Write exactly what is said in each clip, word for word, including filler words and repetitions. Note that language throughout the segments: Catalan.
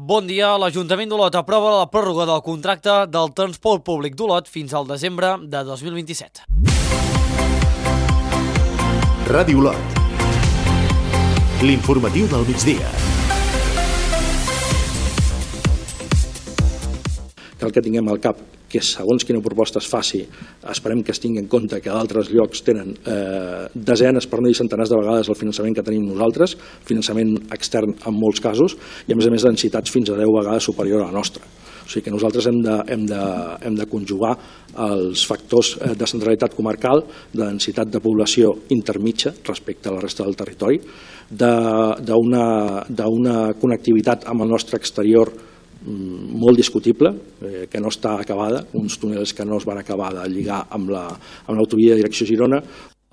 Bon dia. L'Ajuntament d'Olot aprova la pròrroga del contracte del transport públic d'Olot fins al desembre de dos mil vint-i-set. Ràdio Olot. L'informatiu del migdia. Cal que tinguem al cap que segons quina proposta es faci, esperem que es tingui en compte que d'altres llocs tenen eh, desenes, per no dir centenars de vegades el finançament que tenim nosaltres, finançament extern en molts casos, i a més a més densitats fins a deu vegades superior a la nostra. O sigui que nosaltres hem de, hem de, hem de conjugar els factors de centralitat comarcal, de densitat de població intermitja respecte a la resta del territori, d'una connectivitat amb el nostre exterior molt discutible, eh, que no està acabada, uns túnels que no es van acabar de lligar amb l'autovia de direcció Girona.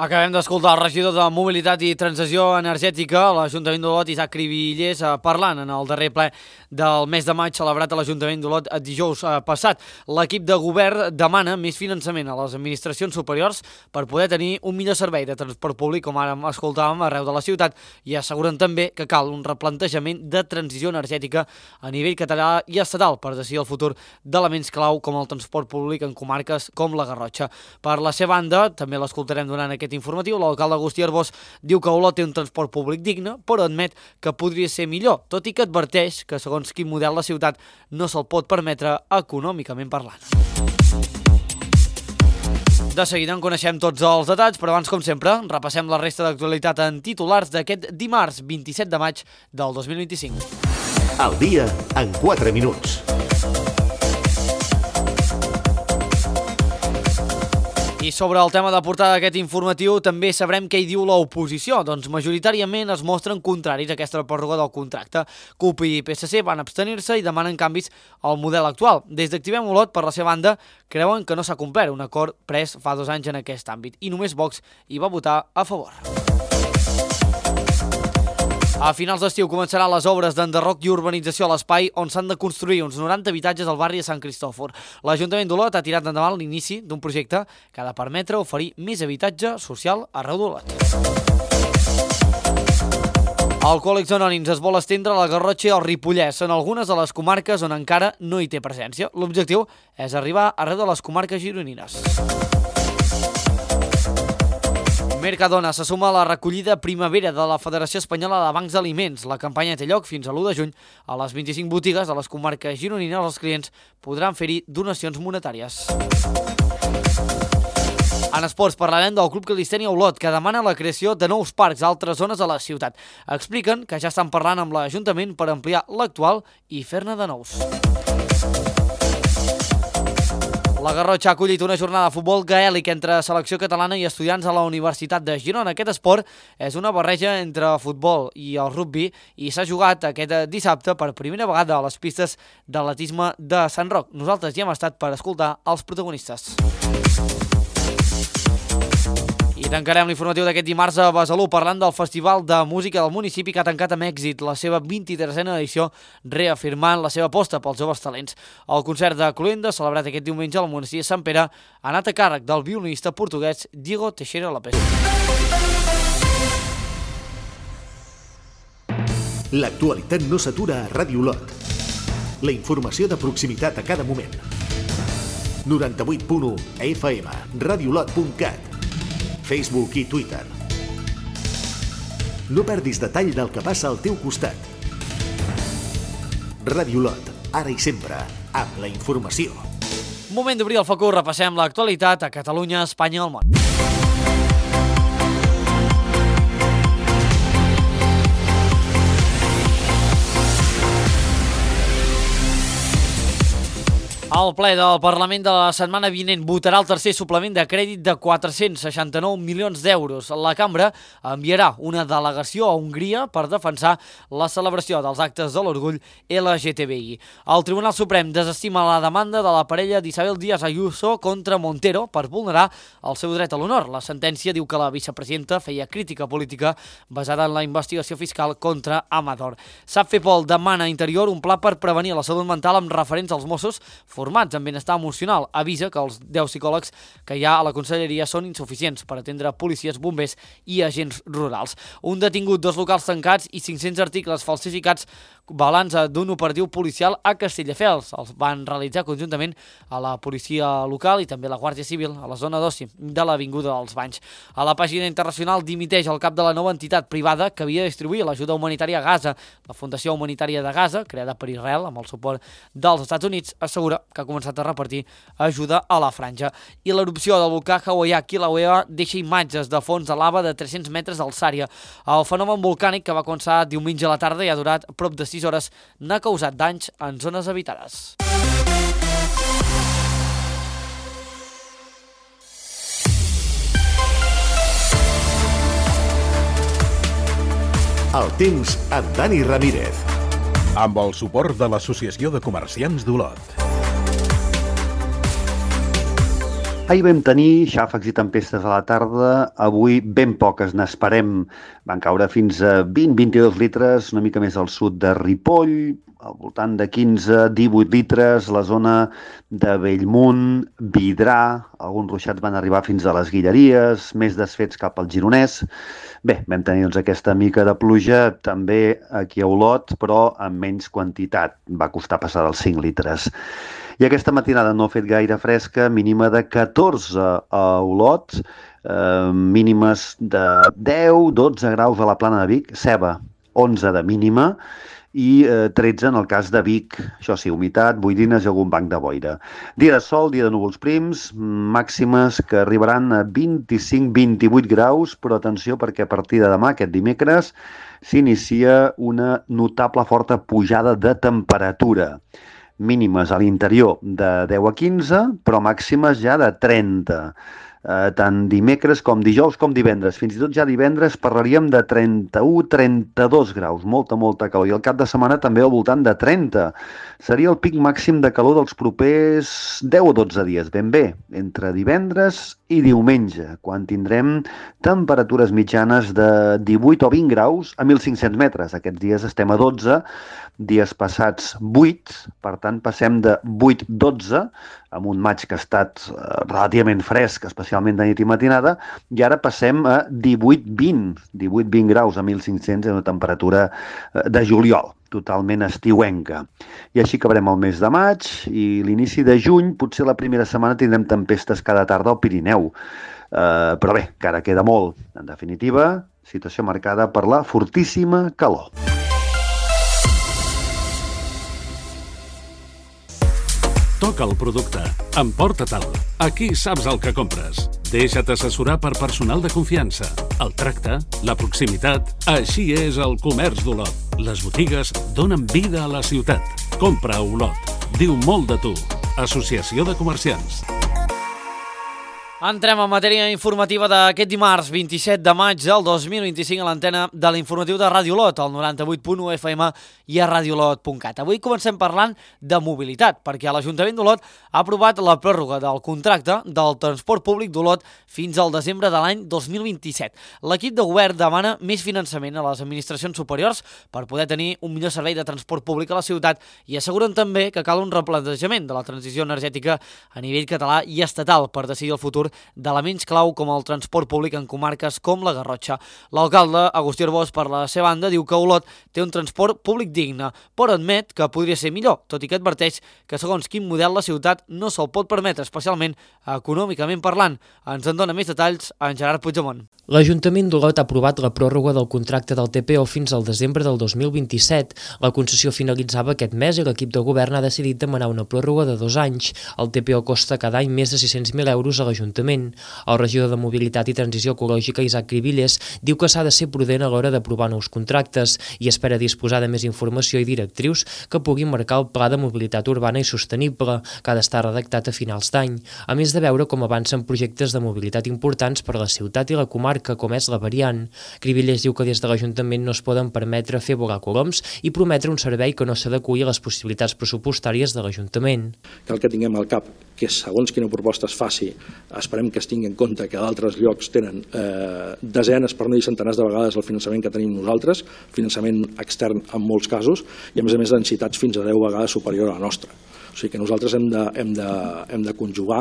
Acabem d'escoltar el regidor de Mobilitat i Transició Energètica a l'Ajuntament d'Olot, Isaac Cribillers, parlant en el darrer ple del mes de maig celebrat a l'Ajuntament d'Olot dijous passat. L'equip de govern demana més finançament a les administracions superiors per poder tenir un millor servei de transport públic, com ara escoltàvem, arreu de la ciutat, i asseguren també que cal un replantejament de transició energètica a nivell català i estatal per decidir el futur d'elements clau com el transport públic en comarques com la Garrotxa. Per la seva banda, també l'escoltarem durant aquest informatiu, l'alcalde Agustí Arbós diu que Olot té un transport públic digne, però admet que podria ser millor, tot i que adverteix que segons quin model la ciutat no se'l pot permetre econòmicament parlant. De seguida en coneixem tots els detalls, però abans, com sempre, repassem la resta d'actualitat en titulars d'aquest dimarts vint-i-set de maig del dos mil vint-i-cinc. El dia en quatre minuts. I sobre el tema de portada d'aquest informatiu també sabrem què hi diu l'oposició. Doncs majoritàriament es mostren contraris a aquesta pròrroga del contracte. C U P i P S C van abstenir-se i demanen canvis al model actual. Des d'Activem Olot, per la seva banda, creuen que no s'ha complert un acord pres fa dos anys en aquest àmbit i només Vox hi va votar a favor. A finals d'estiu començaran les obres d'enderroc i urbanització a l'espai on s'han de construir uns noranta habitatges al barri de Sant Cristòfor. L'Ajuntament d'Olot ha tirat endavant l'inici d'un projecte que ha de permetre oferir més habitatge social arreu d'Olot. Alcohòlics Anònims es vol estendre a la Garrotxa i al Ripollès, en algunes de les comarques on encara no hi té presència. L'objectiu és arribar arreu de les comarques gironines. Mercadona se suma a la recollida primavera de la Federació Espanyola de Bancs d'Aliments. La campanya té lloc fins a l'u de juny. A les vint-i-cinc botigues de les comarques gironines els clients podran fer-hi donacions monetàries. En esports parlarem del Club Calistènia Olot, que demana la creació de nous parcs a altres zones de la ciutat. Expliquen que ja estan parlant amb l'Ajuntament per ampliar l'actual i fer-ne de nous. La Garrotxa ha acollit una jornada de futbol gaèlic entre selecció catalana i estudiants a la Universitat de Girona. Aquest esport és una barreja entre futbol i el rugbi i s'ha jugat aquest dissabte per primera vegada a les pistes d'atletisme de Sant Roc. Nosaltres hi hem estat per escoltar els protagonistes. I tancarem l'informatiu d'aquest dimarts a Besalú parlant del Festival de Música del municipi que ha tancat amb èxit la seva vint-i-tresena edició, reafirmant la seva aposta pels joves talents. El concert de Cluenda, celebrat aquest diumenge al monestir de Sant Pere, ha anat a càrrec del violinista portuguès Diego Teixeira López. L'actualitat no s'atura a Ràdio Olot. La informació de proximitat a cada moment. noranta-vuit punt u F M, radiolot punt cat, Facebook i Twitter. No perdis detall del que passa al teu costat. Ràdio Olot, ara i sempre, amb la informació. Moment d'obrir el focus, repassem l'actualitat a Catalunya, Espanya i el món. El ple del Parlament de la setmana vinent votarà el tercer suplement de crèdit de quatre-cents seixanta-nou milions d'euros. La cambra enviarà una delegació a Hongria per defensar la celebració dels actes de l'orgull L G T B I. El Tribunal Suprem desestima la demanda de la parella d'Isabel Díaz Ayuso contra Montero per vulnerar el seu dret a l'honor. La sentència diu que la vicepresidenta feia crítica política basada en la investigació fiscal contra Amador. Sap fer Pol demana a Interior un pla per prevenir la salut mental amb referents als Mossos, formats en benestar emocional. Avisa que els deu psicòlegs que hi ha a la conselleria són insuficients per atendre policies, bombers i agents rurals. Un detingut, dos locals tancats i cinc-cents articles falsificats, balanç d'un operatiu policial a Castelldefels. Els van realitzar conjuntament a la policia local i també la Guàrdia Civil a la zona d'oci de l'Avinguda dels Banys. A la pàgina internacional dimiteix el cap de la nova entitat privada que havia de distribuir l'ajuda humanitària a Gaza. La Fundació Humanitària de Gaza, creada per Israel amb el suport dels Estats Units, assegura que ha començat a repartir ajuda a la franja. I l'erupció del volcà hawaià Kilauea deixa imatges de fons de lava de tres-cents metres d'alçària. El fenomen volcànic, que va començar diumenge a la tarda i ha durat prop de sis hores, n'ha causat danys en zones habitades. El temps amb Dani Ramírez. Amb el suport de l'Associació de Comerciants d'Olot. Ahir vam tenir xàfecs i tempestes a la tarda, avui ben poques n'esperem. Van caure fins a vint a vint-i-dos litres, una mica més al sud de Ripoll, al voltant de quinze a divuit litres, la zona de Bellmunt, Vidrà, alguns ruixats van arribar fins a les Guilleries, més desfets cap al Gironès. Bé, vam tenir doncs, aquesta mica de pluja també aquí a Olot, però amb menys quantitat, va costar passar dels cinc litres. I aquesta matinada no ha fet gaire fresca, mínima de catorze a Olot, eh, mínimes de deu a dotze graus a la Plana de Vic, Ceba, onze de mínima, i eh, tretze en el cas de Vic, això sí, humitat, boirines i algun banc de boira. Dia de sol, dia de núvols prims, màximes que arribaran a vint-i-cinc a vint-i-vuit graus, però atenció perquè a partir de demà, aquest dimecres, s'inicia una notable forta pujada de temperatura. Mínimes a l'interior de deu a quinze, però màximes ja de trenta. Eh, tant dimecres com dijous com divendres. Fins i tot ja divendres parlaríem de trenta-u a trenta-dos graus, molta, molta calor. I el cap de setmana també al voltant de trenta. Seria el pic màxim de calor dels propers deu o dotze dies, ben bé, entre divendres i diumenge, quan tindrem temperatures mitjanes de divuit o vint graus a mil cinc-cents metres. Aquests dies estem a dotze, dies passats vuit, per tant passem de vuit a dotze, amb un maig que ha estat eh, relativament fresc, especialment de nit i matinada, i ara passem a divuit a vint, divuit a vint graus a mil cinc-cents, és una temperatura eh, de juliol, totalment estiuenca. I així acabarem el mes de maig i l'inici de juny, potser la primera setmana tindrem tempestes cada tarda al Pirineu. Uh, però bé, encara queda molt. En definitiva, situació marcada per la fortíssima calor. Toca el producte. Emporta-te'l. Aquí saps el que compres. Deixa't assessorar per personal de confiança. El tracte, la proximitat... Així és el comerç d'Olot. Les botigues donen vida a la ciutat. Compra a Olot. Diu molt de tu. Associació de Comerciants. Entrem en matèria informativa d'aquest dimarts vint-i-set de maig del dos mil vint-i-cinc a l'antena de l'informatiu de Ràdio Olot, al noranta-vuit punt u F M i a radiolot punt cat. Avui comencem parlant de mobilitat, perquè l'Ajuntament d'Olot ha aprovat la pròrroga del contracte del transport públic d'Olot fins al desembre de l'any dos mil vint-i-set. L'equip de govern demana més finançament a les administracions superiors per poder tenir un millor servei de transport públic a la ciutat i asseguren també que cal un replantejament de la transició energètica a nivell català i estatal per decidir el futur d'elements clau com el transport públic en comarques com la Garrotxa. L'alcalde, Agustí Arbós, per la seva banda, diu que Olot té un transport públic digne, però admet que podria ser millor, tot i que adverteix que segons quin model la ciutat no se'l pot permetre, especialment econòmicament parlant. Ens en dona més detalls en Gerard Puigdemont. L'Ajuntament d'Olot ha aprovat la pròrroga del contracte del T P O fins al desembre del dos mil vint-i-set. La concessió finalitzava aquest mes i l'equip de govern ha decidit demanar una pròrroga de dos anys. El T P O costa cada any més de sis-cents mil euros a l'Ajuntament. El regidor de Mobilitat i Transició Ecològica, Isaac Cribilles, diu que s'ha de ser prudent a l'hora d'aprovar nous contractes i espera disposar de més informació i directrius que puguin marcar el pla de mobilitat urbana i sostenible, que ha d'estar redactat a finals d'any, a més de veure com avancen projectes de mobilitat importants per a la ciutat i la comarca, com és la variant. Cribilles diu que des de l'Ajuntament no es poden permetre fer volar coloms i prometre un servei que no s'adeqüi a les possibilitats pressupostàries de l'Ajuntament. Cal que tinguem al cap que segons quina proposta es faci, esperem que es tingui en compte que d'altres llocs tenen eh, desenes, per no dir centenars de vegades el finançament que tenim nosaltres, finançament extern en molts casos, i a més a més densitats fins a deu vegades superior a la nostra. O sigui que nosaltres hem de, hem de, hem de conjugar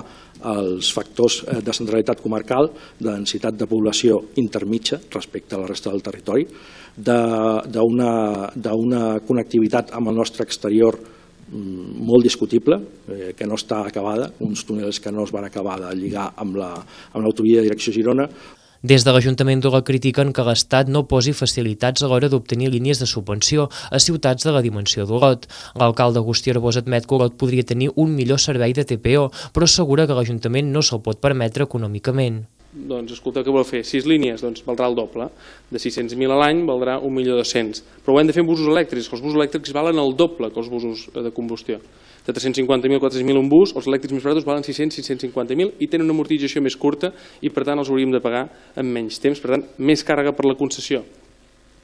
els factors de centralitat comarcal, de densitat de població intermitja respecte a la resta del territori, d'una connectivitat amb el nostre exterior molt discutible, eh, que no està acabada, uns túnels que no es van acabar de lligar amb l'autovia de direcció Girona. Des de l'Ajuntament d'Olot critiquen que l'Estat no posi facilitats a l'hora d'obtenir línies de subvenció a ciutats de la dimensió d'Olot. L'alcalde Agustí Arbós admet que Olot podria tenir un millor servei de T P O, però assegura que l'Ajuntament no se'l pot permetre econòmicament. Doncs escolta, què vol fer? Sis línies, doncs valdrà el doble. De sis-cents mil a l'any valdrà un milió dos-cents. Però ho hem de fer amb busos elèctrics, que els busos elèctrics valen el doble que els busos de combustió. De tres-cents cinquanta mil a quatre-cents mil un bus, els elèctrics més barats valen sis-cents a sis-cents cinquanta mil i tenen una amortització més curta i per tant els hauríem de pagar en menys temps, per tant més càrrega per la concessió.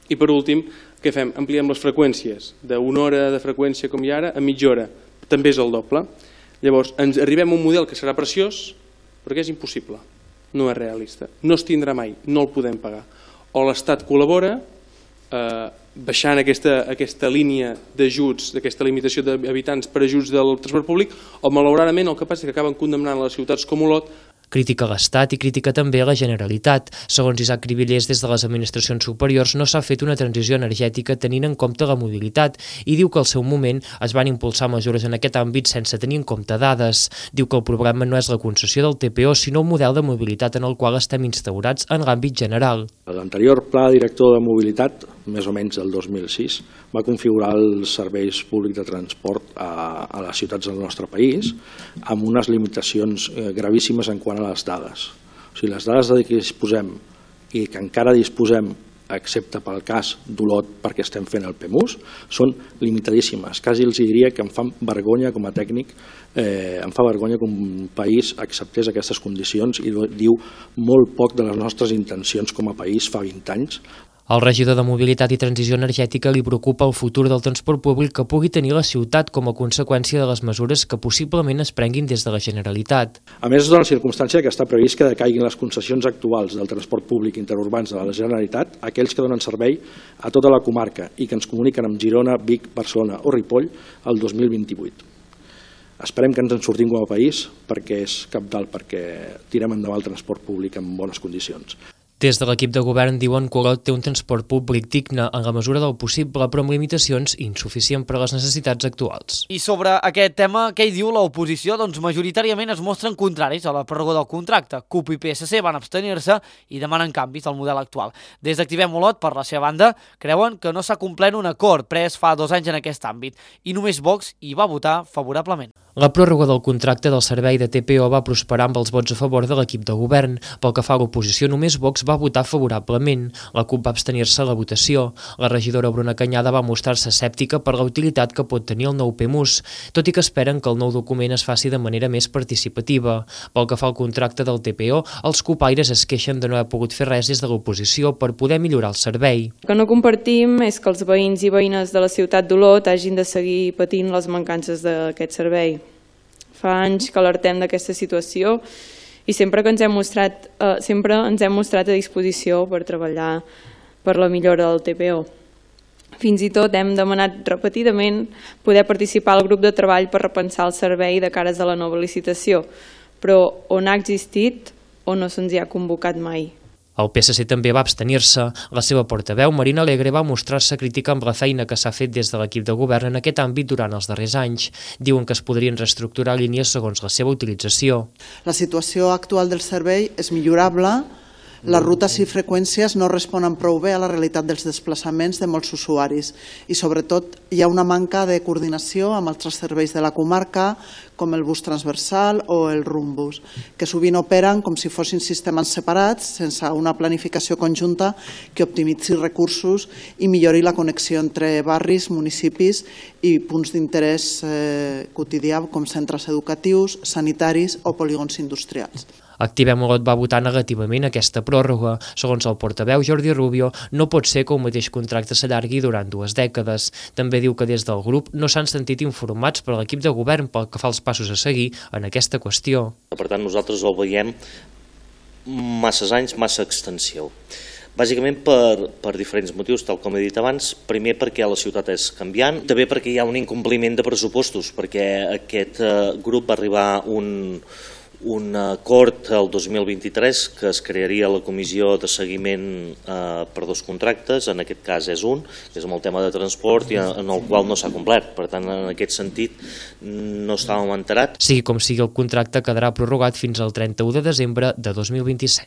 I per últim, què fem? Ampliem les freqüències d'una hora de freqüència com hi ha ara a mitja hora, també és el doble. Llavors ens arribem a un model que serà preciós perquè és impossible. No és realista, no es tindrà mai, no el podem pagar. O l'Estat col·labora eh, baixant aquesta, aquesta línia d'ajuts, d'aquesta limitació d'habitants per ajuts del transport públic, o malauradament el que passa és que acaben condemnant les ciutats com Olot. Critica l'Estat i critica també la Generalitat. Segons Isaac Cribillers, des de les administracions superiors no s'ha fet una transició energètica tenint en compte la mobilitat i diu que al seu moment es van impulsar mesures en aquest àmbit sense tenir en compte dades. Diu que el problema no és la concessió del T P O, sinó un model de mobilitat en el qual estem instaurats en l'àmbit general. L'anterior pla director de mobilitat, més o menys del dos mil sis, va configurar els serveis públics de transport a, a les ciutats del nostre país amb unes limitacions eh, gravíssimes en quant a les dades. O sigui, les dades de què disposem i que encara disposem, excepte pel cas d'Olot perquè estem fent el P E M U S, són limitadíssimes. Quasi els diria que em fan vergonya com a tècnic, eh, em fa vergonya que un país acceptés aquestes condicions i diu molt poc de les nostres intencions com a país fa vint anys. Al regidor de Mobilitat i Transició Energètica li preocupa el futur del transport públic que pugui tenir la ciutat com a conseqüència de les mesures que possiblement es prenguin des de la Generalitat. A més, es dona la circumstància que està previst que decaiguin les concessions actuals del transport públic interurbans de la Generalitat, aquells que donen servei a tota la comarca i que ens comuniquen amb Girona, Vic, Barcelona o Ripoll el dos mil vint-i-vuit. Esperem que ens en sortim com a país perquè és cabdal, perquè tirem endavant el transport públic en bones condicions. Des de l'equip de govern diuen que Olot té un transport públic digne en la mesura del possible, però amb limitacions insuficient per a les necessitats actuals. I sobre aquest tema, què hi diu l'oposició? Doncs majoritàriament es mostren contraris a la pròrroga del contracte. C U P i P S C van abstenir-se i demanen canvis al model actual. Des d'Activem Olot, per la seva banda, creuen que no s'ha complert un acord pres fa dos anys en aquest àmbit i només Vox hi va votar favorablement. La pròrroga del contracte del servei de T P O va prosperar amb els vots a favor de l'equip de govern. Pel que fa a l'oposició, només Vox va votar favorablement. La C U P va abstenir-se a la votació. La regidora Bruna Canyada va mostrar-se escèptica per la utilitat que pot tenir el nou P E M U S, tot i que esperen que el nou document es faci de manera més participativa. Pel que fa al contracte del T P O, els copaires es queixen de no haver pogut fer res des de l'oposició per poder millorar el servei. El que no compartim és que els veïns i veïnes de la ciutat d'Olot hagin de seguir patint les mancances d'aquest servei. Fa anys que alertem d'aquesta situació i sempre que ens hem mostrat, eh, sempre ens hem mostrat a disposició per treballar per la millora del T P O. Fins i tot hem demanat repetidament poder participar al grup de treball per repensar el servei de cares a la nova licitació, però on ha existit o no se'ns hi ha convocat mai. El P S C també va abstenir-se. La seva portaveu, Marina Alegre, va mostrar-se crítica amb la feina que s'ha fet des de l'equip de govern en aquest àmbit durant els darrers anys. Diuen que es podrien reestructurar línies segons la seva utilització. La situació actual del servei és millorable. Les rutes i freqüències no responen prou bé a la realitat dels desplaçaments de molts usuaris i sobretot hi ha una manca de coordinació amb altres serveis de la comarca com el bus transversal o el Rumbus, que sovint operen com si fossin sistemes separats sense una planificació conjunta que optimitzi recursos i millori la connexió entre barris, municipis i punts d'interès eh, quotidià com centres educatius, sanitaris o polígons industrials. Activem Olot va votar negativament aquesta pròrroga. Segons el portaveu Jordi Rubio, no pot ser que un mateix contracte s'allargui durant dues dècades. També diu que des del grup no s'han sentit informats per l'equip de govern pel que fa als passos a seguir en aquesta qüestió. Per tant, nosaltres el veiem masses anys, massa extensió. Bàsicament per, per diferents motius, tal com he dit abans. Primer perquè la ciutat és canviant, també perquè hi ha un incompliment de pressupostos, perquè aquest eh, grup va arribar a un, un acord el dos mil vint-i-tres que es crearia la comissió de seguiment eh, per dos contractes, en aquest cas és un, que és amb el tema de transport i en el qual no s'ha complert. Per tant, en aquest sentit no estàvem enterats. Sigui com sigui, el contracte quedarà prorrogat fins al trenta-u de desembre de dos mil vint-i-set.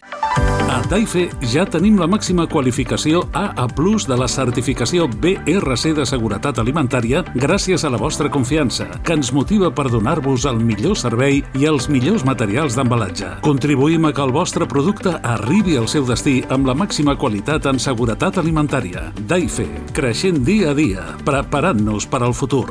A Taife ja tenim la màxima qualificació A A plus de la certificació B R C de seguretat alimentària gràcies a la vostra confiança, que ens motiva per donar-vos el millor servei i els millors materials d'embalatge. Contribuïm a que el vostre producte arribi al seu destí amb la màxima qualitat en seguretat alimentària. Taife, creixent dia a dia, preparant-nos per al futur.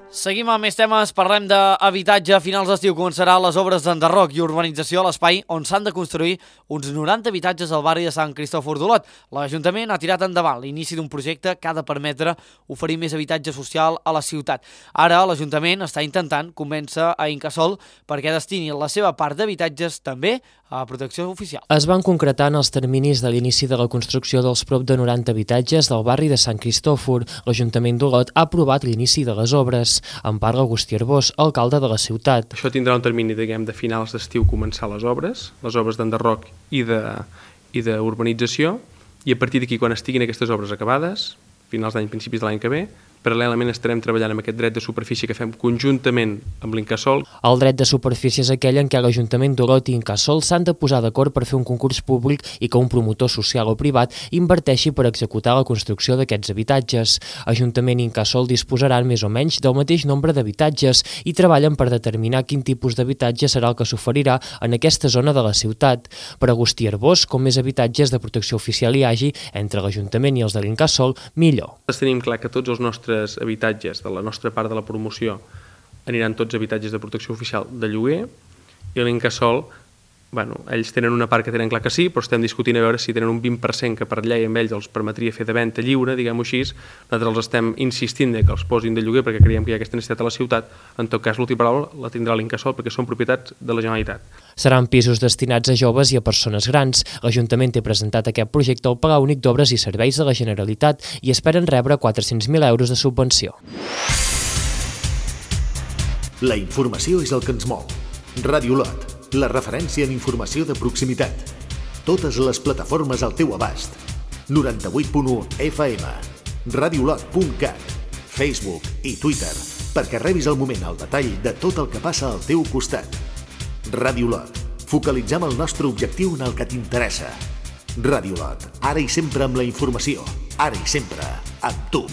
Seguim amb més temes, parlem d'habitatge. A finals d'estiu començaran les obres d'enderroc i urbanització a l'espai on s'han de construir uns noranta habitatges al barri de Sant Cristòfor d'Olot. L'Ajuntament ha tirat endavant l'inici d'un projecte que ha de permetre oferir més habitatge social a la ciutat. Ara l'Ajuntament està intentant convèncer a Incasòl perquè destini la seva part d'habitatges també a protecció oficial. Es van concretar en els terminis de l'inici de la construcció dels prop de noranta habitatges del barri de Sant Cristòfor. L'Ajuntament d'Olot ha aprovat l'inici de les obres. En parla Agustí Arbós, alcalde de la ciutat. Això tindrà un termini, diguem, de finals d'estiu començar les obres, les obres d'enderroc i de i d'urbanització, i a partir d'aquí, quan estiguin aquestes obres acabades, finals d'any, principis de l'any que ve, paral·lelament estarem treballant amb aquest dret de superfície que fem conjuntament amb l'Incasòl. El dret de superfície és aquell en què l'Ajuntament d'Olot i Incasòl s'han de posar d'acord per fer un concurs públic i que un promotor social o privat inverteixi per executar la construcció d'aquests habitatges. Ajuntament i Incasòl disposaran més o menys del mateix nombre d'habitatges i treballen per determinar quin tipus d'habitatge serà el que s'oferirà en aquesta zona de la ciutat. Per Agustí Arbós, com més habitatges de protecció oficial hi hagi entre l'Ajuntament i els de l'Incasòl, millor. Tenim clar que tots els nostres habitatges de la nostra part de la promoció aniran tots habitatges de protecció oficial de lloguer, i l'Incasòl, bueno, ells tenen una part que tenen clar que sí, però estem discutint a veure si tenen un vint per cent que per llei amb ells els permetria fer de venda lliure, diguem-ho així. Nosaltres els estem insistint que els posin de lloguer perquè creiem que hi ha aquesta necessitat a la ciutat. En tot cas, l'última paraula la tindrà l'Incasòl perquè són propietats de la Generalitat. Seran pisos destinats a joves i a persones grans. L'Ajuntament té presentat aquest projecte al Palau Únic d'Obres i Serveis de la Generalitat i esperen rebre quatre-cents mil euros de subvenció. La informació és el que ens mou. Ràdio Olot, la referència en informació de proximitat. Totes les plataformes al teu abast. noranta-vuit punt u F M, radiolot punt cat, Facebook i Twitter, perquè rebis al moment el detall de tot el que passa al teu costat. Ràdio Olot, focalitzem el nostre objectiu en el que t'interessa. Ràdio Olot, ara i sempre amb la informació, ara i sempre amb tu.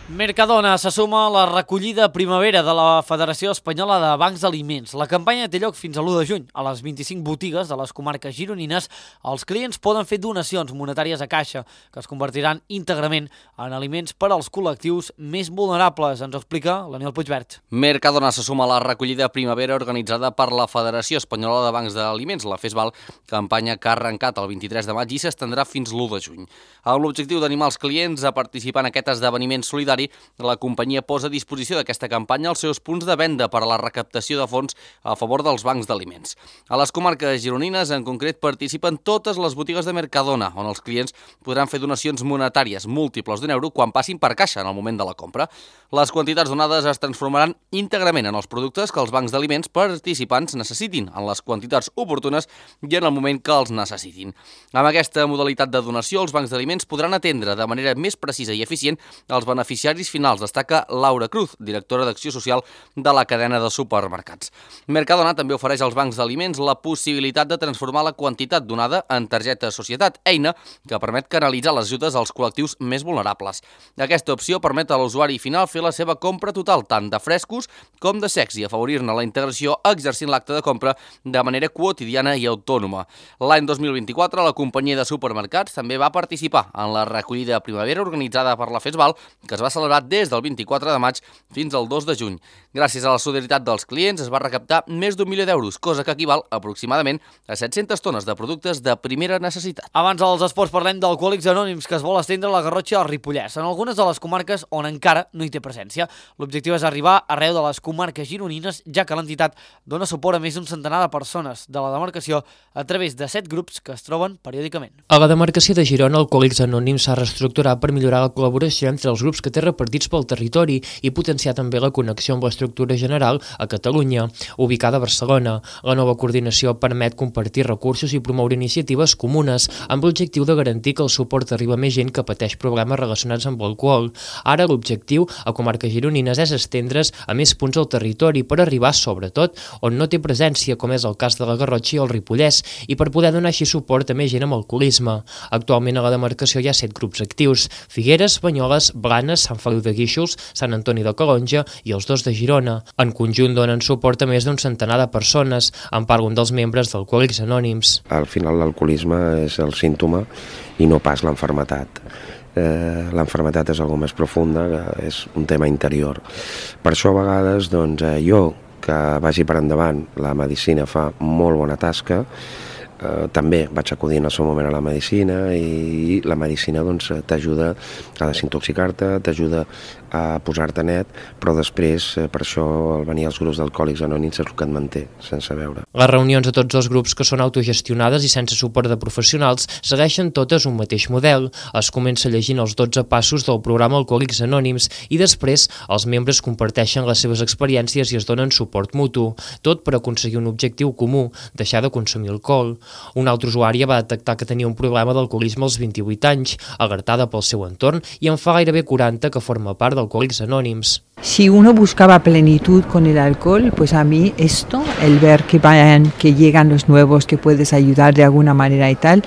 Mercadona se suma a la recollida primavera de la Federació Espanyola de Bancs d'Aliments. La campanya té lloc fins a l'u de juny. A les vint-i-cinc botigues de les comarques gironines, els clients poden fer donacions monetàries a caixa, que es convertiran íntegrament en aliments per als col·lectius més vulnerables. Ens ho explica l'Aniol Puigvert. Mercadona se suma a la recollida primavera organitzada per la Federació Espanyola de Bancs d'Aliments, la FESBAL, campanya que ha arrencat el vint-i-tres de maig i s'estendrà fins l'u de juny. Amb l'objectiu d'animar els clients a participar en aquest esdeveniment solidari, la companyia posa a disposició d'aquesta campanya els seus punts de venda per a la recaptació de fons a favor dels bancs d'aliments. A les comarques gironines, en concret, participen totes les botigues de Mercadona, on els clients podran fer donacions monetàries múltiples d'un euro quan passin per caixa en el moment de la compra. Les quantitats donades es transformaran íntegrament en els productes que els bancs d'aliments participants necessitin, en les quantitats oportunes i en el moment que els necessitin. Amb aquesta modalitat de donació, els bancs d'aliments podran atendre de manera més precisa i eficient els beneficiaris finals, destaca Laura Cruz, directora d'Acció Social de la cadena de supermercats. Mercadona també ofereix als bancs d'aliments la possibilitat de transformar la quantitat donada en targeta societat, eina que permet canalitzar les ajudes als col·lectius més vulnerables. Aquesta opció permet a l'usuari final fer la seva compra total, tant de frescos com de secs, i afavorir-ne la integració exercint l'acte de compra de manera quotidiana i autònoma. L'any dos mil vint-i-quatre, la companyia de supermercats també va participar en la recollida primavera organitzada per la FESBAL, que es va celebrat des del vint-i-quatre de maig fins al dos de juny. Gràcies a la solidaritat dels clients es va recaptar més d'un milió d'euros, cosa que equival aproximadament a set-centes tones de productes de primera necessitat. Abans dels esports parlem d'Alcohòlics Anònims, que es vol estendre a la Garrotxa i al Ripollès, en algunes de les comarques on encara no hi té presència. L'objectiu és arribar arreu de les comarques gironines, ja que l'entitat dona suport a més d'un centenar de persones de la demarcació a través de set grups que es troben periòdicament. A la demarcació de Girona, Alcohòlics Anònims s'ha reestructurat per millorar la col·laboració entre els grups que té repartits pel territori i potenciar també la connexió amb l'estructura general a Catalunya, ubicada a Barcelona. La nova coordinació permet compartir recursos i promoure iniciatives comunes amb l'objectiu de garantir que el suport arriba a més gent que pateix problemes relacionats amb l'alcohol. Ara l'objectiu a comarques gironines és estendre's a més punts al territori per arribar, sobretot, on no té presència, com és el cas de la Garrotxa i el Ripollès, i per poder donar així suport a més gent amb alcoholisme. Actualment a la demarcació hi ha set grups actius: Figueres, Banyoles, Blanes, Sant Feliu de Guíxols, Sant Antoni de Calonja i els dos de Girona. En conjunt donen suport a més d'un centenar de persones, en part un dels membres d'Alcohòlics Anònims. Al final l'alcoholisme és el símptoma i no pas l'enfermetat. Eh, l'enfermetat és algo més profunda, és un tema interior. Per això a vegades doncs, eh, jo, que vagi per endavant, la medicina fa molt bona tasca. Eh, també vaig acudir en el seu moment a la medicina i la medicina doncs, t'ajuda a desintoxicar-te, t'ajuda a posar-te net, però després, eh, per això, el venir als grups d'Alcohòlics Anònims és el que et manté, sense veure. Les reunions de tots els grups, que són autogestionades i sense suport de professionals, segueixen totes un mateix model. Es comença llegint els dotze passos del programa Alcohòlics Anònims i després els membres comparteixen les seves experiències i es donen suport mutu, tot per aconseguir un objectiu comú: deixar de consumir alcohol. Una altra usuària va detectar que tenia un problema d'alcoholisme als vint-i-vuit anys, alertada pel seu entorn, i en fa gairebé quaranta que forma part d'Alcohòlics Anònims. Si uno buscaba plenitud con el alcohol, pues a mí esto, el ver que vayan, que llegan los nuevos, que puedes ayudar de alguna manera y tal,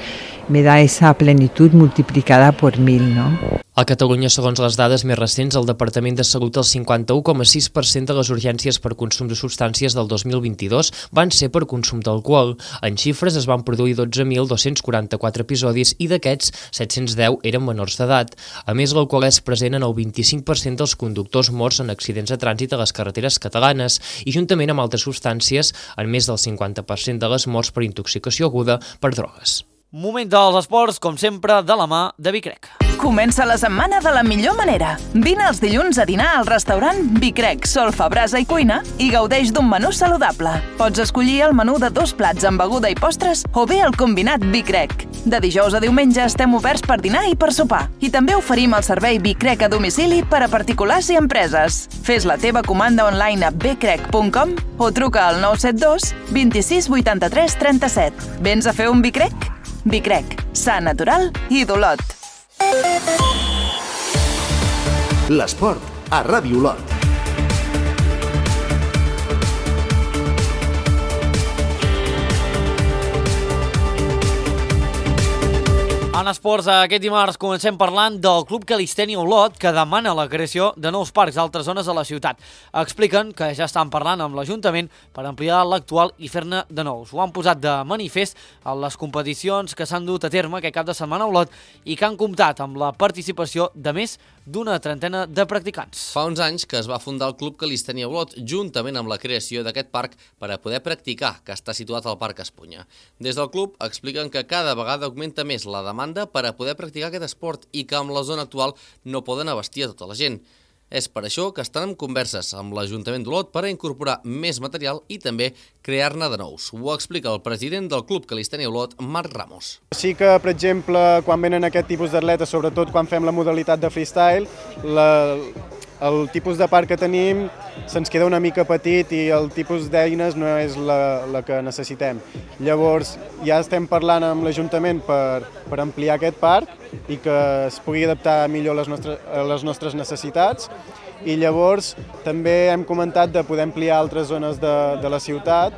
me da esa plenitud multiplicada por mil, ¿no? A Catalunya, segons les dades més recents, el Departament de Salut, el cinquanta-u coma sis per cent de les urgències per consum de substàncies del dos mil vint-i-dos van ser per consum d'alcohol. En xifres es van produir dotze mil dos-cents quaranta-quatre episodis i d'aquests, set-cents deu eren menors d'edat. A més, l'alcohol és present en el vint-i-cinc per cent dels conductors morts en accidents de trànsit a les carreteres catalanes i, juntament amb altres substàncies, en més del cinquanta per cent de les morts per intoxicació aguda per drogues. Moment dels esports, com sempre, de la mà de Vicrec. Comença la setmana de la millor manera. Vine els dilluns a dinar al restaurant Vicrec, Solfa, Brasa i Cuina i gaudeix d'un menú saludable. Pots escollir el menú de dos plats amb beguda i postres o bé el combinat Vicrec. De dijous a diumenge estem oberts per dinar i per sopar. I també oferim el servei Vicrec a domicili per a particulars i empreses. Fes la teva comanda online a vicrec punt com o truca al nou set dos, vint-i-sis, vuitanta-tres, trenta-set. Vens a fer un Vicrec? Vicrec, sa, natural i d'Olot. L'esport a Ràdio Olot. En esports, aquest dimarts comencem parlant del Club Calistènia Olot, que demana la creació de nous parcs a altres zones de la ciutat. Expliquen que ja estan parlant amb l'Ajuntament per ampliar l'actual i fer-ne de nous. Ho han posat de manifest en les competicions que s'han dut a terme aquest cap de setmana a Olot i que han comptat amb la participació de més d'una trentena de practicants. Fa uns anys que es va fundar el Club Calistènia Olot juntament amb la creació d'aquest parc per a poder practicar, que està situat al Parc Espunya. Des del club expliquen que cada vegada augmenta més la demanda per a poder practicar aquest esport i que amb la zona actual no poden abastir a tota la gent. És per això que estan en converses amb l'Ajuntament d'Olot per a incorporar més material i també crear-ne de nous. Ho explica el president del Club Calistènia Olot, Marc Ramos. Sí que, per exemple, quan venen aquest tipus d'atletes, sobretot quan fem la modalitat de freestyle, la, el tipus de parc que tenim se'ns queda una mica petit i el tipus d'eines no és la, la que necessitem. Llavors, ja estem parlant amb l'Ajuntament per, per ampliar aquest parc i que es pugui adaptar millor a les nostres, a les nostres necessitats. I llavors també hem comentat de poder ampliar altres zones de, de la ciutat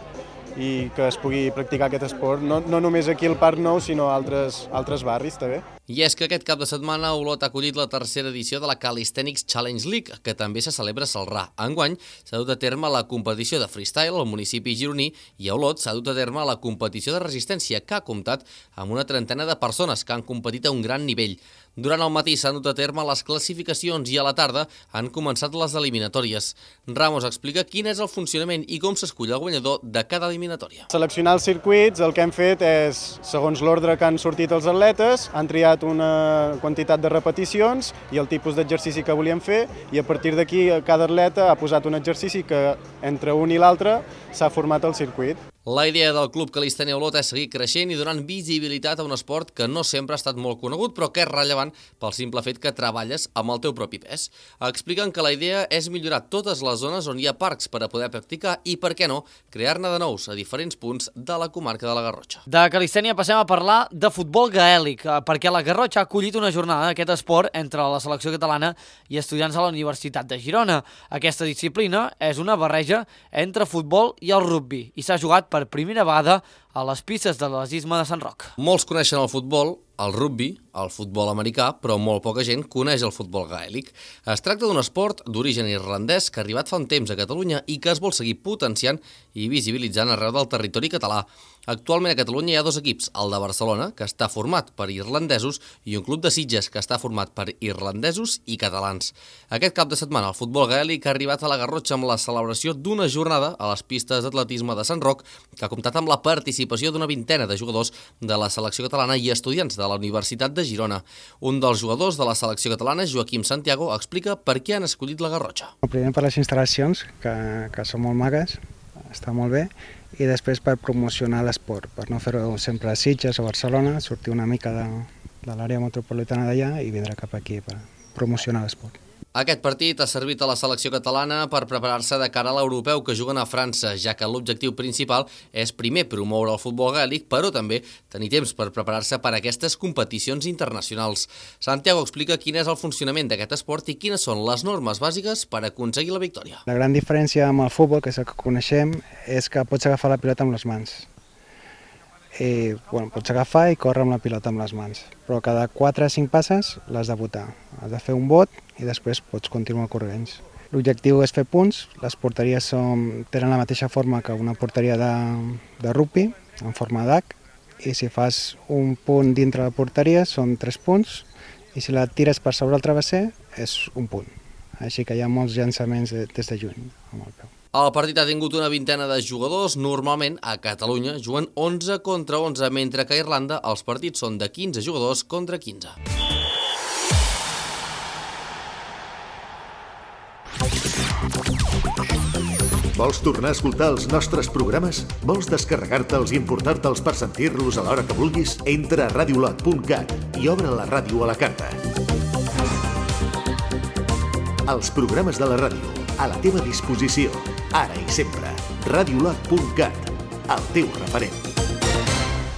i que es pugui practicar aquest esport, no, no només aquí al Parc Nou, sinó a altres, altres barris també. I és que aquest cap de setmana Olot ha acollit la tercera edició de la Calisthenics Challenge League, que també se celebra a Celrà. Enguany s'ha dut a terme la competició de freestyle al municipi gironí i a Olot s'ha dut a terme la competició de resistència, que ha comptat amb una trentena de persones que han competit a un gran nivell. Durant el matí s'han dut a terme les classificacions i a la tarda han començat les eliminatòries. Ramos explica quin és el funcionament i com s'escull el guanyador de cada eliminatòria. Seleccionar els circuits, el que hem fet és, segons l'ordre que han sortit els atletes, han triat una quantitat de repeticions i el tipus d'exercici que volien fer, i a partir d'aquí cada atleta ha posat un exercici que entre un i l'altre s'ha format el circuit. La idea del Club Calistènia Olot és seguir creixent i donant visibilitat a un esport que no sempre ha estat molt conegut, però que és rellevant pel simple fet que treballes amb el teu propi pes. Expliquen que la idea és millorar totes les zones on hi ha parcs per a poder practicar i, per què no, crear-ne de nous a diferents punts de la comarca de la Garrotxa. De calistènia passem a parlar de futbol gaèlic, perquè la Garrotxa ha acollit una jornada d'aquest esport entre la selecció catalana i estudiants de la Universitat de Girona. Aquesta disciplina és una barreja entre futbol i el rugbi i s'ha jugat per primera vegada a les pistes de l'Atletisme de Sant Roc. Molts coneixen el futbol, el rugbi, el futbol americà, però molt poca gent coneix el futbol gaèlic. Es tracta d'un esport d'origen irlandès que ha arribat fa un temps a Catalunya i que es vol seguir potenciant i visibilitzant arreu del territori català. Actualment a Catalunya hi ha dos equips, el de Barcelona, que està format per irlandesos, i un club de Sitges, que està format per irlandesos i catalans. Aquest cap de setmana el futbol gaèlic ha arribat a la Garrotxa amb la celebració d'una jornada a les pistes d'atletisme de Sant Roc, que ha comptat amb la participació d'una vintena de jugadors de la selecció catalana i estudiants de la Universitat de Girona. Un dels jugadors de la selecció catalana, Joaquim Santiago, explica per què han escollit la Garrotxa. Primer per les instal·lacions, que, que són molt magues, està molt bé, i després per promocionar l'esport, per no fer-ho sempre a Sitges o Barcelona, sortir una mica de, de l'àrea metropolitana d'allà i vindre cap aquí per promocionar l'esport. Aquest partit ha servit a la selecció catalana per preparar-se de cara a l'europeu que juguen a França, ja que l'objectiu principal és primer promoure el futbol gaèlic, però també tenir temps per preparar-se per a aquestes competicions internacionals. Santiago explica quin és el funcionament d'aquest esport i quines són les normes bàsiques per aconseguir la victòria. La gran diferència amb el futbol, que és el que coneixem, és que pots agafar la pilota amb les mans. I, bueno, pots agafar i córrer amb la pilota amb les mans, però cada quatre o cinc passes l'has de botar. Has de fer un bot i després pots continuar corrents. L'objectiu és fer punts, les porteries són, tenen la mateixa forma que una porteria de, de rugby, en forma d'H, i si fas un punt dintre la porteria són tres punts, i si la tires per sobre el travesser és un punt. Així que hi ha molts llançaments des de juny amb el peu. El partit ha tingut una vintena de jugadors. Normalment, a Catalunya, juguen onze contra onze, mentre que a Irlanda els partits són de quinze jugadors contra quinze. Vols tornar a escoltar els nostres programes? Vols descarregar-te'ls i importar-te'ls per sentir-los a l'hora que vulguis? Entra a radiolot punt cat i obre la ràdio a la carta. Els programes de la ràdio, a la teva disposició, ara i sempre. radiolot punt cat, el teu referent.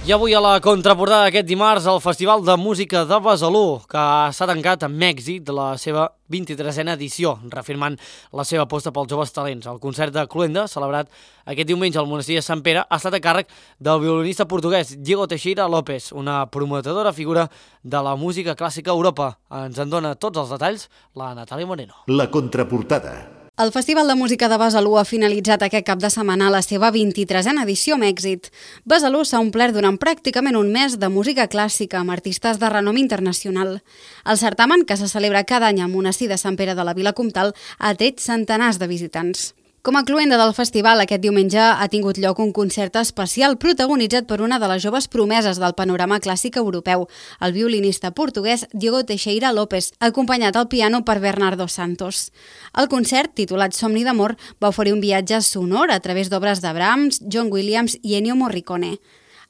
I avui a la contraportada d'aquest dimarts el Festival de Música de Besalú, que s'ha tancat amb èxit de la seva vint-i-tresena edició, reafirmant la seva aposta pels joves talents. El concert de Cluenda, celebrat aquest diumenge al monestir de Sant Pere, ha estat a càrrec del violinista portuguès Diego Teixeira López, una prometedora figura de la música clàssica a Europa. Ens en dona tots els detalls la Natàlia Moreno. La contraportada. El Festival de Música de Besalú ha finalitzat aquest cap de setmana la seva vint-i-tresena edició amb èxit. Besalú s'ha omplert durant pràcticament un mes de música clàssica amb artistes de renom internacional. El certamen, que se celebra cada any al monestir de Sant Pere de la Vila Comtal, ha atret centenars de visitants. Com a cluenda del festival, aquest diumenge ha tingut lloc un concert especial protagonitzat per una de les joves promeses del panorama clàssic europeu, el violinista portuguès Diego Teixeira López, acompanyat al piano per Bernardo Santos. El concert, titulat Somni d'amor, va oferir un viatge sonor a través d'obres de Brahms, John Williams i Ennio Morricone.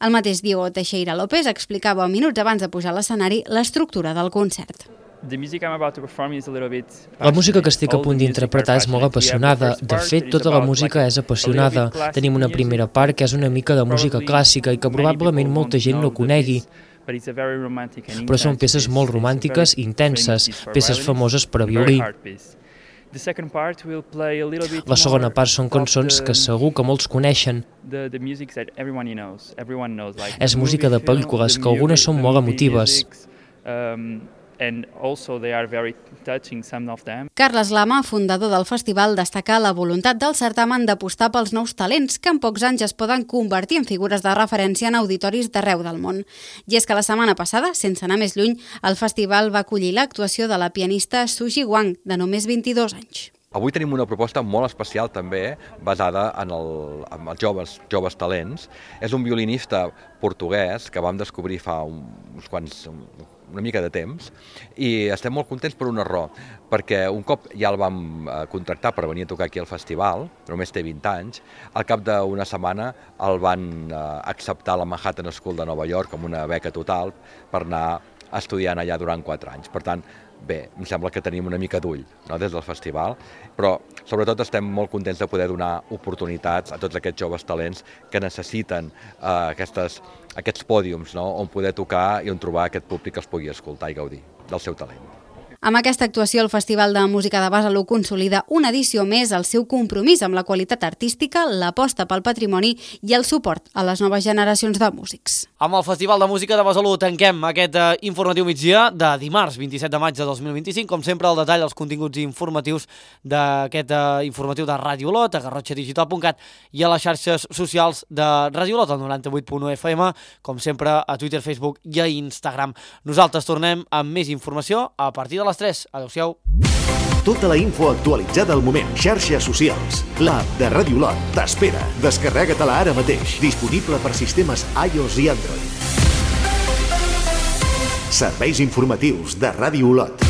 El mateix Diego Teixeira López explicava minuts abans de pujar a l'escenari l'estructura del concert. La música que estic a punt d'interpretar és molt apassionada. De fet, tota la música és apassionada. Tenim una primera part que és una mica de música clàssica i que probablement molta gent no conegui. Però són peces molt romàntiques i intenses, peces famoses per a violí. La segona part són cançons que segur que molts coneixen. És música de pel·lícules, que algunes són molt emotives. Um, and also they are very touching, some of them. Carles Lama, fundador del festival, destaca la voluntat del certamen d'apostar pels nous talents que en pocs anys es poden convertir en figures de referència en auditoris d'arreu del món. I és que la setmana passada, sense anar més lluny, el festival va acollir l'actuació de la pianista Suji Wang, de només vint-i-dos anys. Avui tenim una proposta molt especial també, basada en, el, en els joves, joves talents. És un violinista portuguès que vam descobrir fa uns quants, una mica de temps, i estem molt contents per una raó, perquè un cop ja el vam contractar per venir a tocar aquí al festival, només té vint anys, al cap d'una setmana el van acceptar a la Manhattan School de Nova York amb una beca total per anar estudiant allà durant quatre anys. Per tant, bé, em sembla que tenim una mica d'ull, no?, des del festival, però sobretot estem molt contents de poder donar oportunitats a tots aquests joves talents que necessiten eh, aquestes, aquests pòdiums, no?, on poder tocar i on trobar aquest públic que els pugui escoltar i gaudir del seu talent. Amb aquesta actuació, el Festival de Música de Besalú consolida una edició més el seu compromís amb la qualitat artística, l'aposta pel patrimoni i el suport a les noves generacions de músics. Amb el Festival de Música de Besalú tanquem aquest eh, informatiu migdia de dimarts vint-i-set de maig de dos mil vint-i-cinc. Com sempre, al detall els continguts informatius d'aquest eh, informatiu de Ràdio Olot, a garrotxa digital punt cat i a les xarxes socials de Ràdio Olot, al noranta-vuit punt u F M, com sempre a Twitter, Facebook i a Instagram. Nosaltres tornem amb més informació a partir de les tres. Adéu-siau. Tota la info actualitzada al moment. Xarxes socials. L'app de Ràdio Olot t'espera. Descarrega-te-la ara mateix. Disponible per sistemes iOS i Android. Serveis informatius de Ràdio Olot.